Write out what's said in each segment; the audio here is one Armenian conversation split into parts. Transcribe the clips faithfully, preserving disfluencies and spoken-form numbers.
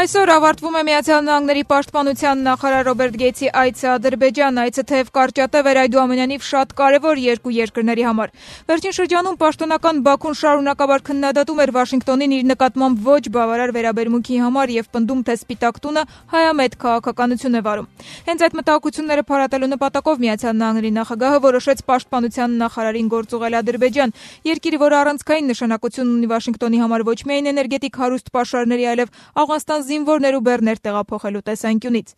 Այսօր ավարտվում է Միացյալ Նահանգների պաշտպանության նախարար Ռոբերտ Գեյթսի այցը Ադրբեջան։ Այցը թեև կարճատև էր, այդուամենայնիվ շատ կարևոր երկու երկրների համար։ Վերջին շրջանում պաշտոնական Բաքուն շարունակաբար քննադատում էր Վաշինգտոնին իր նկատմամբ ոչ բավարար վերաբերմունքի համար եւ պնդում, թե Սպիտակ տունը հայամետ քաղաքականություն է վարում։ Հենց այդ մտահոգությունները փարատելու նպատակով Միացյալ Նահանգների նախագահը որոշեց պաշտպանության նախարարին գործուղել Ադրբեջան, երկիրը, որը առանցքային նշանակություն ունի Վաշինգտոնի համար ոչ միայն էներգետիկ հարուստ պաշարների, այլև Աֆղանստան զինվորներ ու բեռներ տեղափոխելու տեսանկյունից։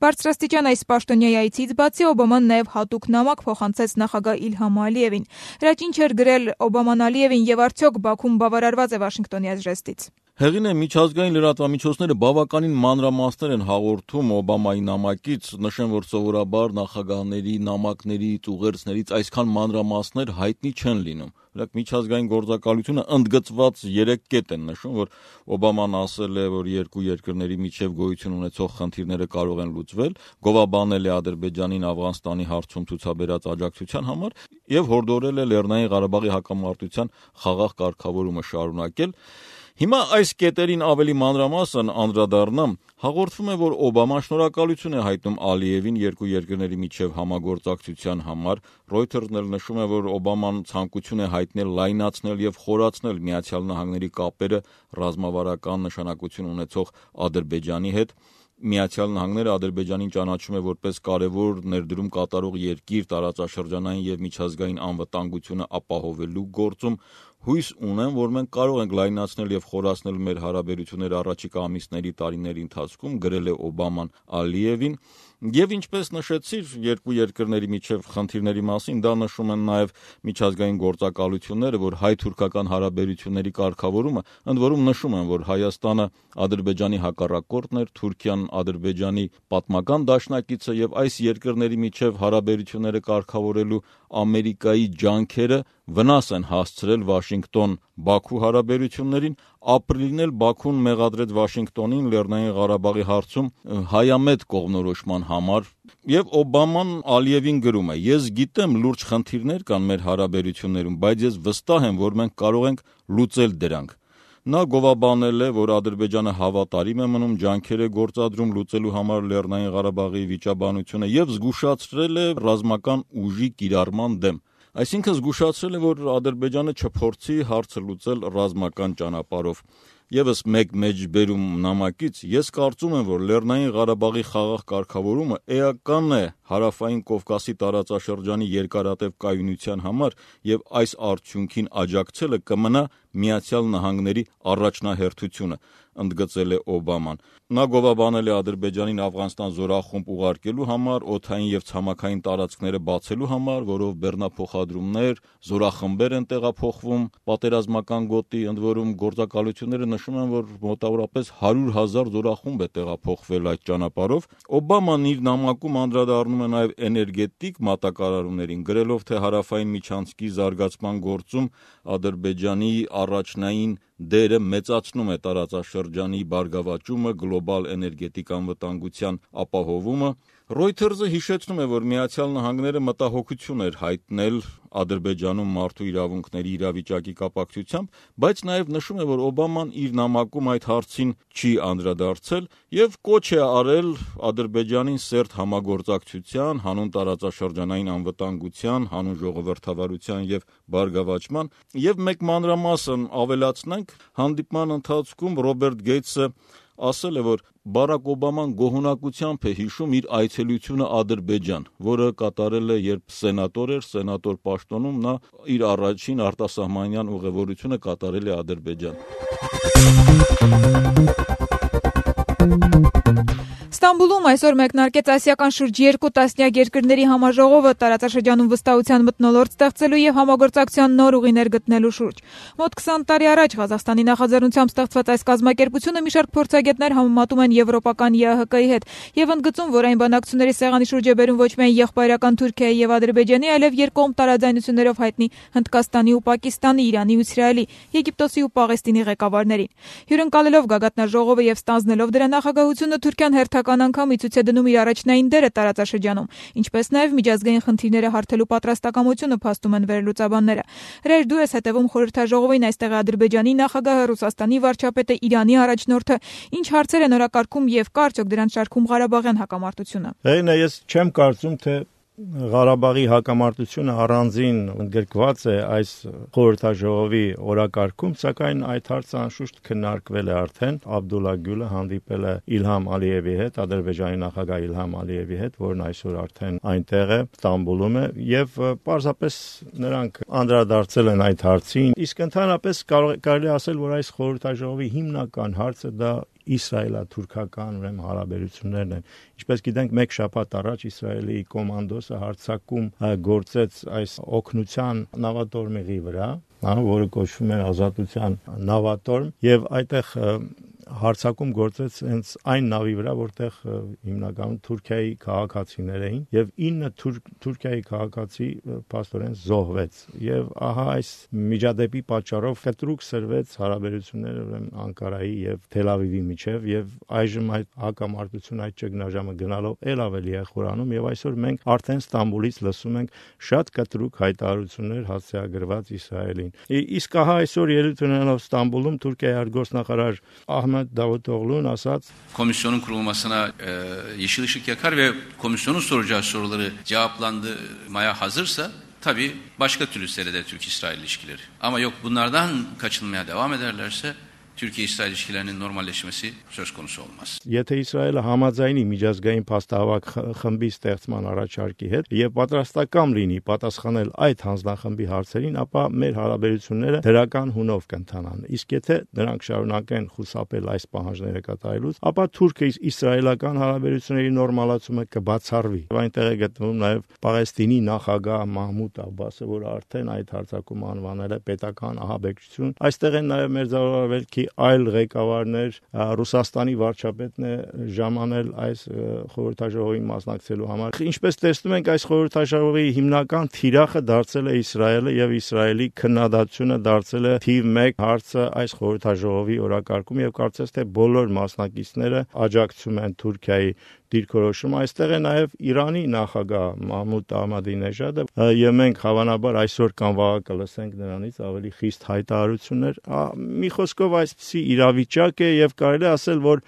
Բարձրաստիճան այս պաշտոնյայի այցից բացի Օբաման նաև հատուկ նամակ փոխանցեց նախագահ Իլհամ Ալիևին։ Հրաչ ինչ էր գրել Օբաման Ալիևին եւ արդյոք Բաքուն բավարարված է Վաշինգտոնի այս ժեստից։ Հեղին է միջազգային լրատվամիջոցները բավականին մանրամասներ են հաղորդում Օբամայի նամակից, նշեմ, որ սովորաբար նախագահների նամակներից, ուղերձներից այսքան մանրամասներ հայտնի չեն լինում։ Օրինակ միջազգային գործակալությունը ընդգծված երեք կետ են նշում, որ Օբաման ասել է, որ երկու երկրների միջև գոյություն ունեցող խնդիրները կարող են լուծվել, գովաբանել է Ադրբեջանին Աֆղանստանի հարցում ցուցաբերած աջակցության համար եւ հորդորել է Լեռնային Ղարաբաղի հակամարտության խաղաղ կարգավորումը շարունակել։ Հիմա այս կետերին ավելի մանրամասն անդրադառնամ, հաղորդվում է, որ Օբաման շնորհակալություն է հայտնում Ալիևին երկու երկրների միջև համագործակցության համար։ Reuters-ն էլ նշում է, որ Օբաման ցանկություն է հայտնել լայնացնել եւ խորացնել Միացյալ Նահանգների կապերը ռազմավարական նշանակություն ունեցող Ադրբեջանի հետ։ Միացյալ Նահանգները Ադրբեջանին ճանաչում է որպես կարևոր ներդրում կատարող երկիր տարածաշրջանային եւ միջազգային անվտանգությունը ապահովելու գործում։ Հույս ունեմ, որ մենք կարող ենք լայնացնել եւ խորացնել մեր հարաբերությունները առաջիկա ամիսների տարիների ընթացքում, գրել է Օբաման Ալիևին։ Եվ ինչպես նշեցիր, երկու երկրների միջև խնդիրների մասին դա նշում են նաև միջազգային գործակալությունները, որ հայ-թուրքական հարաբերությունների կարգավորումը, ընդ որում նշում են, որ Հայաստանը Ադրբեջանի հակառակորդն էր, Թուրքիան Ադրբեջանի պատմական դաշնակիցը եւ այս երկրների միջև հարաբերությունները կարգավորելու Ամերիկայի ջանքերը վնաս են հասցրել Վաշինգտոն-Բաքու հարաբերություններին։ Ապրիլին էլ Բաքուն մեղադրեց Վաշինգտոնին Լեռնային Ղարաբաղի հարցում հայամետ կողմնորոշման համար։ Եվ Օբաման Ալիևին գրում է. «Ես գիտեմ լուրջ խնդիրներ կան մեր հարաբերություններում, բայց ես վստահ եմ, որ մենք կարող ենք լուծել դրանք»։ Նա գովաբանել է, որ Ադրբեջանը հավատարիմ է մնում, ջանքեր է գործադրում լուծելու համար Լեռնային Ղարաբաղի վիճաբանությունը եւ զգուշացրել է ռազմական ուժի կիրառման դեմ։ Այսինքն զգուշացրել է, որ Ադրբեջանը չփորձի հարցը լուծել ռազմական ճանապարհով։ Եվս մեկ մեջբերում նամակից, ես կարծում եմ, որ Լեռնային Ղարաբաղի խաղաղ կարգավորումը էական է Հարավային Կովկասի տարածաշրջանի երկարատև կայունության համար եւ այս արդյունքին աջակցելը կմնա Միացյալ Նահանգների առաջնահերթությունը, ընդգծել է Օբաման։ Նա գովաբանել է Ադրբեջանին Աֆղանստան զորախումբ ուղարկելու համար, օդային եւ ցամաքային տարածքները բացելու համար, որով բեռնափոխադրումներ, զորախմբեր են տեղափոխվում պատերազմական գոտի, ընդ որում գործակալությունները նշում են, որ մոտավորապես հարյուր հազար զորախումբ է տեղափոխվել այդ ճանապարհով։ Օբաման իր նամակում անդրադառնում է նաեւ էներգետիկ մատակարարումներին, գրելով, թե հարավային միջանցքի զարգացման գործում Ադրբեջանի առաջնային դերը մեծացնում է տարածաշրջանի բարգավաճումը, գլոբալ էներգետիկ անվտանգության ապահովումը։ Reuters-ը հիշեցնում է, որ Միացյալ Նահանգները մտահոգություն էր հայտնել Ադրբեջանում մարդու իրավունքների իրավիճակի կապակցությամբ, բայց նաև նշում է, որ Օբաման իր նամակում այդ հարցին չի անդրադարձել եւ կոչ է արել Ադրբեջանին սերտ համագործակցության, հանուն տարածաշրջանային անվտանգության, հանուն ժողովրդավարության եւ բարգավաճման։ Եվ մեկ մանրամասն ավելացնենք, հանդիպման ընթացքում Ռոբերտ Գեյթսը ասել է, որ Բարակ Օբաման գոհունակությամբ է հիշում իր այցելությունը Ադրբեջան, որը կատարել է, երբ սենատոր էր, սենատոր պաշտոնում նա իր առաջին արտասահմանյան ուղևորությունը կատարել է Ադրբեջան։ Ստամբուլում այսօր մեկնարկեց ասիական շուրջ երկու տասնյակ երկրների համաժողովը տարածաշրջանում վստահության մթնոլորտ ստեղծելու եւ համագործակցության նոր ուղիներ գտնելու շուրջ։ Մոտ քսան տարի առաջ Ղազախստանի նախաձեռնությամբ ստեղծված այս կազմակերպությունը մի շարք փորձագետներ համեմատում են եվրոպական ԵԱՀԿ-ի հետ եւ ընդգծում, որ այն բանակցությունների սեղանի շուրջ է բերում ոչ միայն եղբայրական Թուրքիայի եւ Ադրբեջանի, այլև երկկողմ տարաձայնություններով հայտնի Հնդկաստանի ու Պակիստանի, Իրանի ու Իսրայելի, Եգիպտոսի ու Պաղեստինի ղեկավարներին։ Հյուրընկալելով գագաթնաժողովը եւ ստանձնելով դրա նախագահությունը Թուրքիան հերթական անգամ ի ցույց է դնում իր առաջնային դերը տարածաշրջանում, ինչպես նաև միջազգային խնդիրները հարթելու պատրաստակամությունը փաստում են վերլուծաբանները։ Հրեր, դու ես հետևում խորհրդաժողովին, այստեղ է Ադրբեջանի նախագահը, Ռուսաստանի վարչապետը, Իրանի առաջնորդը, ինչ հարցեր են օրակարգում եւ կա արդյոք դրանց շարքում Ղարաբաղյան հակամարտությունը։ Հենց ես չեմ կարծում, թե Ղարաբաղի հակամարտությունը առանձին ընդգրկված է այս խորհրդաժողովի օրակարգում, սակայն այդ հարցը անշուշտ քննարկվել է արդեն։ Աբդուլլա Գյուլը հանդիպել է Իլհամ Ալիևի հետ, Ադրբեջանի նախագահ Իլհամ Ալիևի հետ, որն այսօր արդեն այնտեղ է, Ստամբուլում է, եւ պարզապես նրանք անդրադարձել են այդ հարցին։ Իսկ ընդհանրապես կարելի ասել, որ այս խորհրդաժողովի հիմնական հարցը դա իսրայելա-թուրքական ուրեմն հարաբերություններն են։ Ինչպես գիտենք, մեկ շաբաթ առաջ Իսրայելի կոմանդոսը հարձակում գործեց այս օգնության նավատորմի վրա, որը կոչվում է ազատության նավատորմ, եւ այդտեղ հարձակում գործեց հենց այն նավի վրա, որտեղ հիմնականում Թուրքիայի քաղաքացիներ էին, եւ ինը Թուրքիայի քաղաքացի փաստորեն զոհվեց։ Եվ ահա այս միջադեպի պատճառով կտրուկ սրվեց հարաբերությունները ուրեմն Անկարայի եւ Թել Ավիվի միջև, եւ այժմ այդ հակամարտությունը, այդ ճգնաժամը գնալով ել ավելի է խորանում, եւ այսօր մենք արդեն Ստամբուլից լսում ենք շատ կտրուկ հայտարարություններ հասցեագրված Իսրայելին։ Իսկ ահա այսօր ելույթ ունենալով Ստամբուլում Թուրքիայի արտգործնախարար Ահմեդ Davutoğlu'nun asat komisyonun kurulmasına e, yeşil ışık yakar ve komisyonun soracağı soruları cevaplandırmaya hazırsa tabii başka türlü seyreder Türk-İsrail ilişkileri. Ama yok bunlardan kaçınmaya devam ederlerse Türkiye-İsrail ilişkilərinin normalleşməsi söz konusu olmaz. Եթե Իսրայելը համաձայնի միջազգային փաստահավաք խմբի ստեղծման առաջարկի հետ եւ պատրաստական լինի պատասխանել այդ հանձնախմբի հարցերին, ապա մեր հարաբերությունները դրական հունով կընթանան։ Իսկ եթե նրանք շարունակեն խուսափել այս պահանջները կատարելուց, ապա Թուրքիա-իսրայելական հարաբերությունների նորմալացումը կբացառվի։ Այնտեղ է գտնվում նաեւ Պաղեստինի նախագահ Մահմուդ Աբբասը, որը արդեն այդ հարձակումը անվանել է պետական ահաբեկչություն։ Այստեղ են նաեւ մերձավորվել այլ ղեկավարներ, Ռուսաստանի վարչապետն է ժամանել այս խորհրդաժողովին մասնակցելու համար։ Ինչպես տեսնում ենք, այս խորհրդաժողովի հիմնական թիրախը դարձել է Իսրայելը եւ Իսրայելի քննադատությունը դարձել է թիվ մեկ հարցը այս խորհրդաժողովի օրակարգում եւ կարծես թե բոլոր մասնակիցները աջակցում են Թուրքիայի դիրքորոշումը։ Այստեղ է նաև Իրանի նախագահ Մահմուդ Ահմադինեժադը, եւ մենք հավանաբար այսօր կամ վաղը կլսենք նրանից ավելի խիստ հայտարարություններ։ Մի խոսքով այսպիսի իրավիճակ է եւ կարելի ասել, որ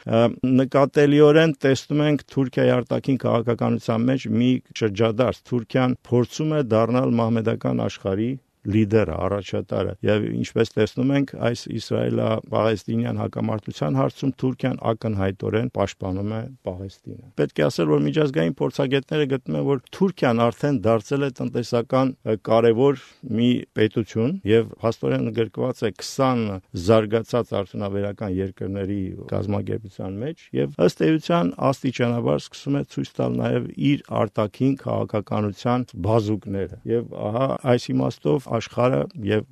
նկատելիորեն տեսնում ենք Թուրքիայի արտաքին քաղաքականության մեջ մի շրջադարձ։ Թուրքիան փորձում է դառնալ մահմեդական աշխարհի լիդերը, առաջատարը, եւ ինչպես տեսնում ենք, այս Իսրայելա-Պաղեստինյան հակամարտության հարցում Թուրքիան ակնհայտորեն պաշտպանում է Պաղեստինը։ Պետք է ասել, որ միջազգային փորձագետները գտնում են, որ Թուրքիան արդեն դարձել է տնտեսական կարևոր մի պետություն եւ հաստորեն ընդգրկված է քսան զարգացած արդյունաբերական երկրների կազմակերպության մեջ եւ ըստ էության աստիճանաբար սկսում է ցույց տալ նաեւ իր արտաքին քաղաքականության բազուկները։ Եվ ահա այս իմաստով աշխարհը եւ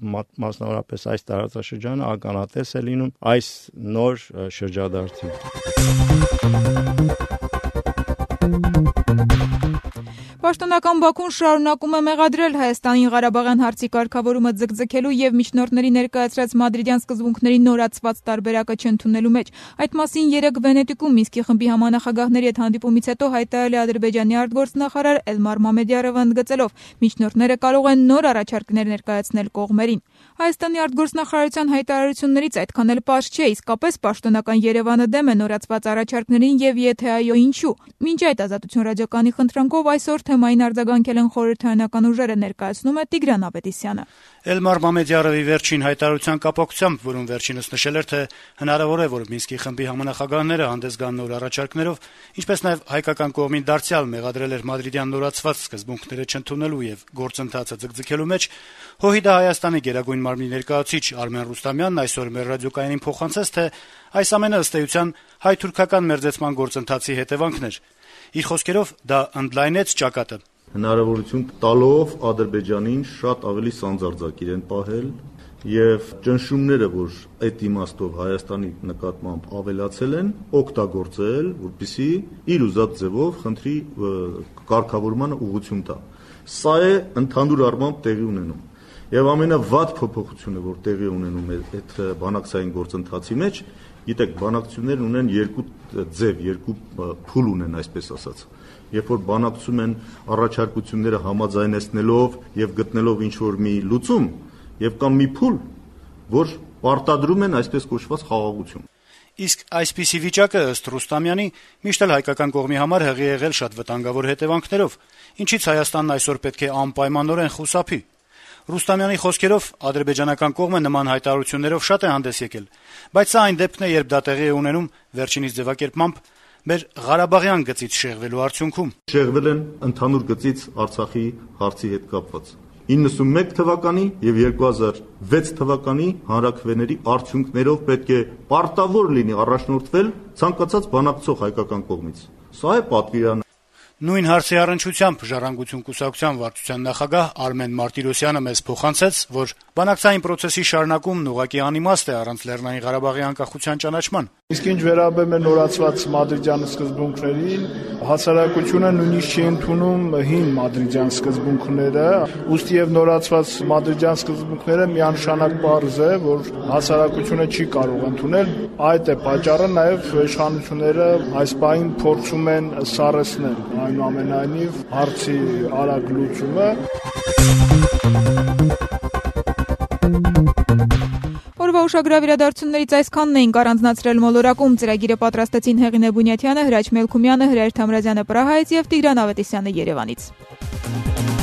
մասնավորապես այս տարածաշրջանը ականատես է լինում այս նոր շրջադարձին։ Պաշտոնական Բաքուն շարունակում է մեղադրել Հայաստանին Ղարաբաղյան հարցի կարգավորումը ձգձգելու եւ միջնորդների ներկայացրած մադրիդյան սկզբունքների նորացված տարբերակը չընդունելու մեջ։ Այդ մասին երեկ Վենետիկում Մինսկի խմբի համանախագահների հետ հանդիպումից հետո հայտարարել է Ադրբեջանի արտգործնախարար Էլմար Մամեդյարովը, ընդգծելով՝ միջնորդները կարող են նոր առաջարկներ ներկայացնել կողմերին։ Հայաստանի արտգործնախարարության հայտարարություններից այդքան էլ պարզ չէ, իսկապես պաշտոնական Երևանը դեմ է նորացված առաջարկներին եւ եթե այո, ինչու։ Մինչ այդ Ազատություն ռադիոկայանի խնդրանքով այսօր թեմային արձագանքել են խորհրդարանական ուժերը, ներկայացնում է Տիգրան Ավետիսյանը։ Էլմար Մամեդյարովի վերջին հայտարարության կապակցությամբ, որում վերջինս նշել էր, թե հնարավոր է, որ Մինսկի խմբի համանախագահները հանդես գան նոր առաջարկներով, ինչպես նաև հայկական կողմին դարձյալ մեղադրել էր մադրիդյան նորացված սկզբունքները չընդունելու եւ գործընթացը ձգձգելու մեջ, ՀՅԴ Հայաստանի գերագույն մարմնի ներկայացուցիչ Արմեն Ռուստամյանն այսօր մեր ռադիոկայանին փոխանցեց, թե այս ամենը ըստ էության հայ-թուրքական մերձեցման գործընթացի հետևանքն էր։ Իր խոսքերով դա ընդլայնեց ճակատը։ Հնարավորություն տալով Ադրբեջանին շատ ավելի սանձարձակ իրեն պահել եւ ճնշումները, որ այդ իմաստով Հայաստանի նկատմամբ ավելացել են, օգտագործել, որպեսզի իր ուզած ձևով խնդրի կարգավորմանը ուղղություն տա։ Սա է ընդհանուր առմամբ տեղի ունենում։ Եվ ամենավատ փոփոխությունը, որ տեղի ունենում է այդ բանակցային գործընթացի մեջ, գիտեք, բանակցություններն ունեն երկու ձև, երկու փուլ ունեն, այսպես ասած։ Երբ որ բանակցում են առաջարկությունները համաձայնեցնելով եւ գտնելով ինչ-որ մի լուծում, եւ կամ մի փուլ, որ պարտադրում են այսպես կոչված խաղաղություն։ Իսկ այսպիսի վիճակը ըստ Ռուստամյանի միշտ էլ հայկական կողմի համար հղի եղել շատ վտանգավոր հետևանքներով, ինչից Հայաստանն այսօր պետք է անպայմանորեն խուսափի։ Ռուստամյանի խոսքերով ադրբեջանական կողմը նման հայտարարություններով շատ է հանդես եկել, բայց սա այն դեպքն է, երբ դա տեղի է ունենում վերջինիս ձևակերպմամբ մեր Ղարաբաղյան գծից շեղվելու արդյունքում։ Շեղվել են ընդհանուր գծից Արցախի հարցի հետ կապված։ իննսունմեկ թվականի եւ երկու հազար վեց թվականի հանրաքվեների արդյունքներով պետք է պարտավոր լինի առաջնորդվել ցանկացած բանակցող հայկական կողմից։ Սա է պատվիրանը։ Նույն հարցի առնչությամբ Ժառանգություն կուսակցության վարչության նախագահ Արմեն Մարտիրոսյանը մեզ փոխանցեց, որ բանակցային process-ի շարունակումն ուղղակի անիմաստ է առանց Լեռնային Ղարաբաղի անկախության ճանաչման։ Իսկ ինչ վերաբերում է նորացված Մադրիդյան սկզբունքներին, հասարակությունը նույնիսկ չի ընդունում հին Մադրիդյան սկզբունքները, ուստի եւ նորացված Մադրիդյան սկզբունքները միանշանակ պարզ է, որ հասարակությունը չի կարող ընդունել, այդ է պատճառը, նաեւ իշխանությունները այս բանին փորձում են սառեցնել, այնուամենայնիվ հարցի արագ լուծումը։ Օրվա ուշագրավ իրադարձություններից այսքանն էինք առանձնացրել մոլորակում։ Ծրագիրը պատրաստեցին Հեղինե Բունյաթյանը, Հրաչ Մելքումյանը, Հրայր Թամրազյանը Պրահայից եւ Տիգրան Ավետիսյանը Երևանից։